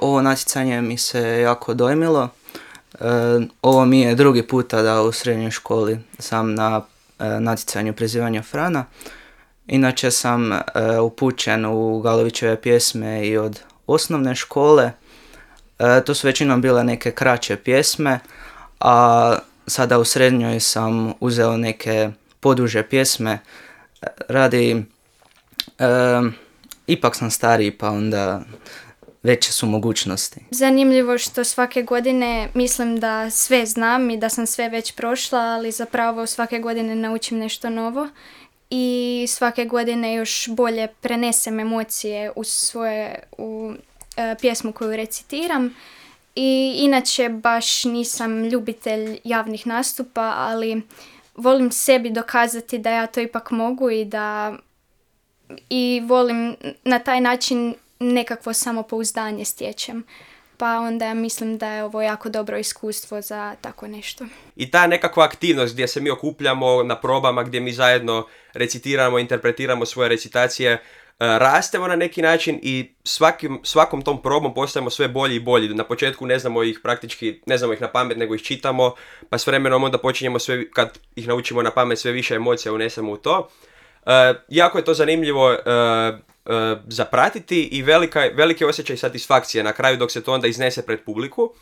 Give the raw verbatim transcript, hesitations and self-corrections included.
Ovo natjecanje mi se jako dojmilo. E, ovo mi je drugi puta da u srednjoj školi sam na e, natjecanju prizivanja Frana. Inače sam e, upućen u Galovićeve pjesme i od osnovne škole. E, to su većinom bile neke kraće pjesme, a sada u srednjoj sam uzeo neke poduže pjesme radi... E, ipak sam stariji, pa onda veće su mogućnosti. Zanimljivo što svake godine mislim da sve znam i da sam sve već prošla, ali zapravo svake godine naučim nešto novo i svake godine još bolje prenesem emocije u svoje u e, pjesmu koju recitiram. I inače baš nisam ljubitelj javnih nastupa, ali volim sebi dokazati da ja to ipak mogu i da i volim na taj način nekakvo samopouzdanje stječem. Pa onda mislim da je ovo jako dobro iskustvo za tako nešto. I ta nekakva aktivnost gdje se mi okupljamo na probama, gdje mi zajedno recitiramo, interpretiramo svoje recitacije, rastemo na neki način i svakim, svakom tom probom postajemo sve bolji i bolji. Na početku ne znamo ih praktički, ne znamo ih na pamet, nego ih čitamo, pa s vremenom onda počinjemo sve, kad ih naučimo na pamet, sve više emocija unesemo u to. Uh, jako je to zanimljivo uh, uh, zapratiti i velika, veliki osjećaj satisfakcije na kraju dok se to onda iznese pred publiku.